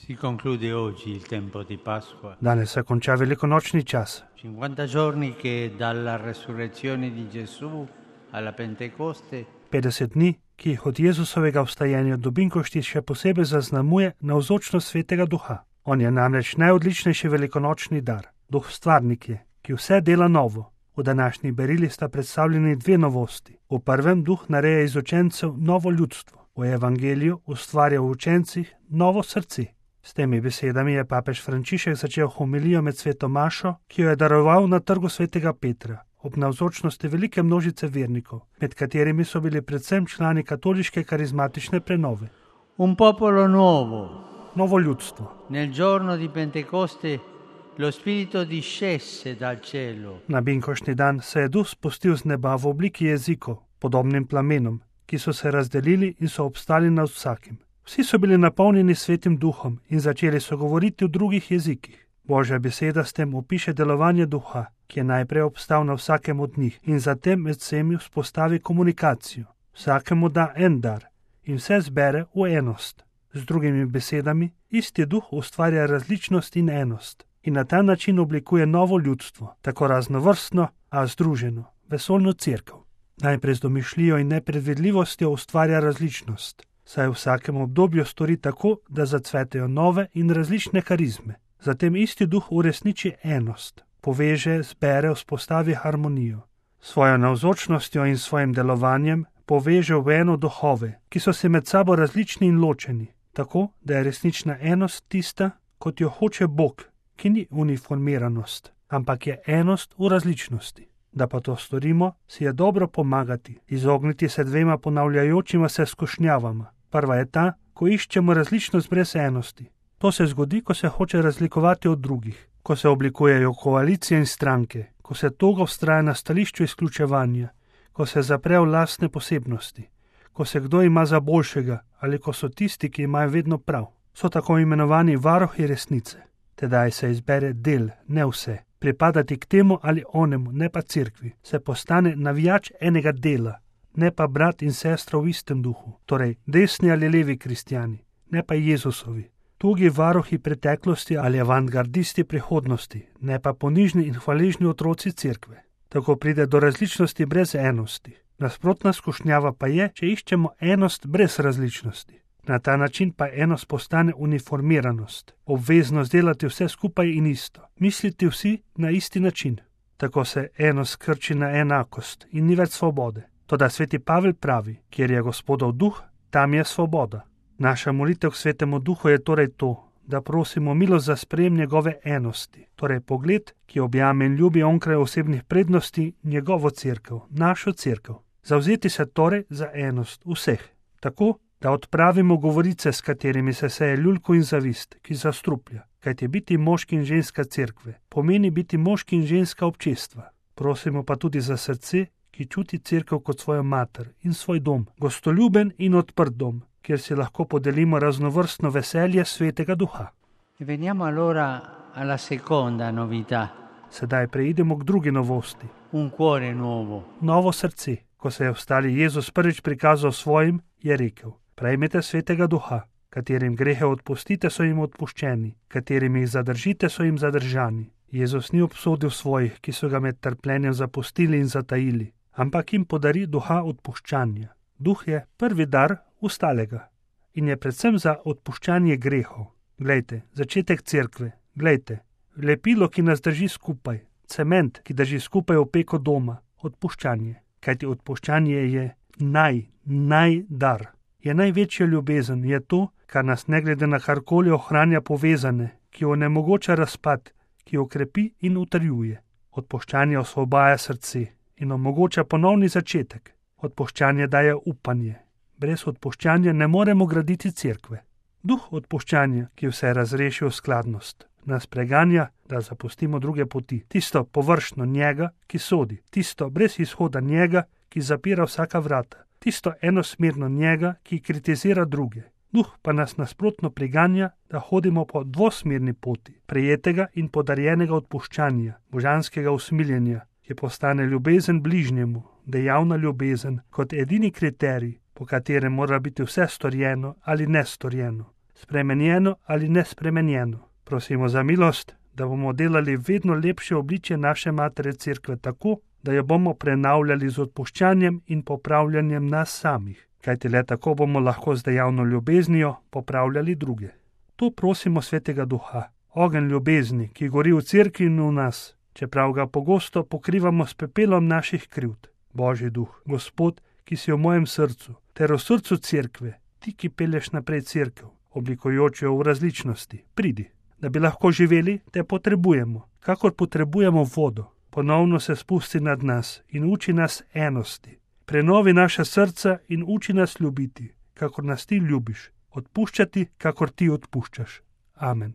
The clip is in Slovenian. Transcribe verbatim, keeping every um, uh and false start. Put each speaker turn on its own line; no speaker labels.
Si conclude oggi il tempo di Pasqua.
Danes se konča velikonočni čas.
cinquanta giorni che dalla resurrezione di Gesù alla Pentecoste
petdeset dni, ki jih od Jezusovega vstajenja do binkošti še posebej zaznamuje navzočnost Svetega Duha. On je namreč najodličnejši velikonočni dar. Duh stvarnik je, ki vse dela novo. V današnji berili sta predstavljeni dve novosti. V prvem duh nareja iz učencev novo ljudstvo. V evangeliju ustvarja v učencih novo srce. S temi besedami je papež Frančišek začel homilijo med sveto mašo, ki jo je daroval na trgu svetega Petra, ob navzočnosti velike množice vernikov, med katerimi so bili predvsem člani katoliške karizmatične prenove.
Un popolo nuovo.
Novo ljudstvo.
Nel giorno di Pentecoste lo Spirito discese dal cielo.
Na binkoštni dan se je duh spustil z neba v obliki jezikov, podobnim plamenom, ki so se razdelili in so obstali nad vsakim. Vsi so bili napolnjeni svetim duhom in začeli so govoriti v drugih jezikih. Božja beseda s tem opiše delovanje duha, ki je najprej obstal na vsakem od njih in zatem med vsemi vzpostavi komunikacijo. Vsakemu da en dar in vse zbere v enost. Z drugimi besedami, isti duh ustvarja različnost in enost in na ta način oblikuje novo ljudstvo, tako raznovrstno, a združeno, vesoljno cerkev. Najprej z domišljijo in nepredvidljivostjo ustvarja različnost, saj v vsakem obdobju stori tako, da zacvetejo nove in različne karizme. Zatem isti duh uresniči enost, poveže, zbere, vzpostavi harmonijo. Svojo navzočnostjo in svojim delovanjem poveže v eno duhove, ki so se med sabo različni in ločeni, tako da je resnična enost tista, kot jo hoče Bog, ki ni uniformiranost, ampak je enost v različnosti. Da pa to storimo, si je dobro pomagati, izogniti se dvema ponavljajočima se skušnjavama. Prva je ta, ko iščemo različnost brez enosti. To se zgodi, ko se hoče razlikovati od drugih, ko se oblikujejo koalicije in stranke, ko se togo vztraja na stališču izključevanja, ko se zapre v lastne posebnosti, ko se kdo ima za boljšega ali ko so tisti, ki imajo vedno prav. So tako imenovani varuhi resnice. Tedaj se izbere del, ne vse. Pripadati k temu ali onemu, ne pa cerkvi, se postane navijač enega dela, ne pa brat in sestra v istem duhu, torej desni ali levi kristjani, ne pa Jezusovi, tugi varuhi preteklosti ali avantgardisti prihodnosti, ne pa ponižni in hvaležni otroci cerkve. Tako pride do različnosti brez enosti. Nasprotna skušnjava pa je, če iščemo enost brez različnosti. Na ta način pa enost postane uniformiranost, obveznost delati vse skupaj in isto, misliti vsi na isti način. Tako se enost krči na enakost in ni več svobode. Toda sveti Pavel pravi, kjer je Gospodov duh, tam je svoboda. Naša molitev k svetemu duhu je torej to, da prosimo milost za sprejem njegove enosti, torej pogled, ki objame in ljubi onkraj osebnih prednosti njegovo cerkev, našo cerkev. Zavzeti se torej za enost vseh, tako, da odpravimo govorice, s katerimi se seje ljulko in zavist, ki zastruplja, kajti biti moški in ženska cerkve pomeni biti moški in ženska občestva. Prosimo pa tudi za srce, ki čuti cerkev kot svojo mater in svoj dom, gostoljuben in odprt dom, kjer si lahko podelimo raznovrstno veselje svetega duha.
Veniamo allora alla seconda novità.
Sedaj preidemo k drugi novosti.
Un cuore nuovo.
Novo srce. Ko se je vstali Jezus prvič prikazal svojim, je rekel: prejmite svetega duha, katerim grehe odpustite, so jim odpuščeni, katerim jih zadržite, so jim zadržani. Jezus ni obsodil svojih, ki so ga med trpljenjem zapustili in zatajili, ampak jim podari duha odpuščanja. Duh je prvi dar ustalega in je predvsem za odpuščanje grehov. Glejte, začetek cerkve, glejte, lepilo, ki nas drži skupaj, cement, ki drži skupaj opeko doma, odpuščanje. Kajti odpuščanje je naj, naj dar. Je največja ljubezen, je to, kar nas ne glede na karkoli ohranja povezane, ki onemogoča razpad, ki okrepi in utrjuje. Odpuščanje osvobaja srce in omogoča ponovni začetek. Odpuščanje daje upanje. Brez odpuščanja ne moremo graditi cerkve. Duh odpuščanja, ki vse razreši v skladnost, nas preganja, da zapustimo druge poti. Tisto površno njega, ki sodi. Tisto brez izhoda njega, ki zapira vsaka vrata. Tisto enosmerno njega, ki kritizira druge. Duh pa nas nasprotno priganja, da hodimo po dvosmerni poti, prejetega in podarjenega odpuščanja, božanskega usmiljenja, ki postane ljubezen bližnjemu, dejavna ljubezen, kot edini kriterij, po katerem mora biti vse storjeno ali nestorjeno. spremenjeno ali nespremenjeno. Prosimo za milost, da bomo delali vedno lepše obličje naše Matere Cerkve tako, da jo bomo prenavljali z odpuščanjem in popravljanjem nas samih, kajti le tako bomo lahko z dejavno ljubeznijo popravljali druge. To prosimo Svetega Duha, ogenj ljubezni, ki gori v Cerkvi in v nas, čeprav ga pogosto pokrivamo s pepelom naših krivd. Božji Duh, Gospod, ki si v mojem srcu, ter v srcu Cerkve, ti, ki pelješ naprej Cerkev, oblikujoč jo v različnosti, pridi. Da bi lahko živeli, te potrebujemo, kakor potrebujemo vodo. Ponovno se spusti nad nas in uči nas enosti. Prenovi naša srca in uči nas ljubiti, kakor nas ti ljubiš, odpuščati, kakor ti odpuščaš. Amen.